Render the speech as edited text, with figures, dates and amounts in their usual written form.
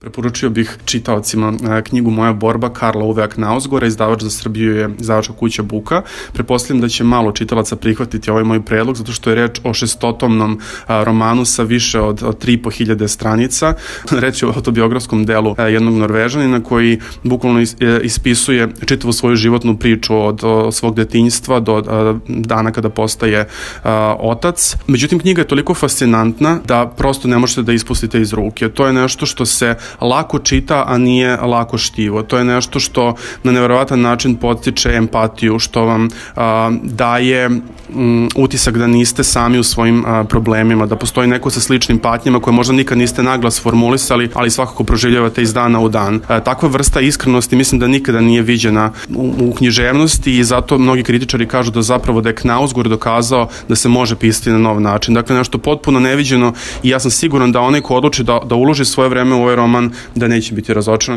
Preporučio bih čitaocima knjigu Moja borba Karla Ove Knausgårda, izdavač za Srbiju je izdavačka kuća Buka. Pretpostavljam da će malo čitalaca prihvatiti ovaj moj predlog, zato što je reč o 600-tomnom romanu sa više od 3.500 stranica. Reč je o autobiografskom delu jednog Norvežanina koji bukvalno ispisuje čitavu svoju životnu priču od svog detinjstva do dana kada postaje otac. Međutim, knjiga je toliko fascinantna da prosto ne možete da ispustite iz ruke. To je nešto što se lako čita, a nije lako štivo. To je nešto što na neverovatan način podstiče empatiju, što vam daje utisak da niste sami u svojim problemima, da postoji neko sa sličnim patnjama koje možda nikad niste naglas formulisali, ali svakako proživljavate iz dana u dan. Takva vrsta iskrenosti mislim da nikada nije viđena u književnosti i zato mnogi kritičari kažu da zapravo da je Knausgård dokazao da se može pisati na nov način. Dakle, nešto potpuno neviđeno i ja sam siguran da onaj ko odluči da uloži svoje vreme u ovaj roman, da neće biti razočaran.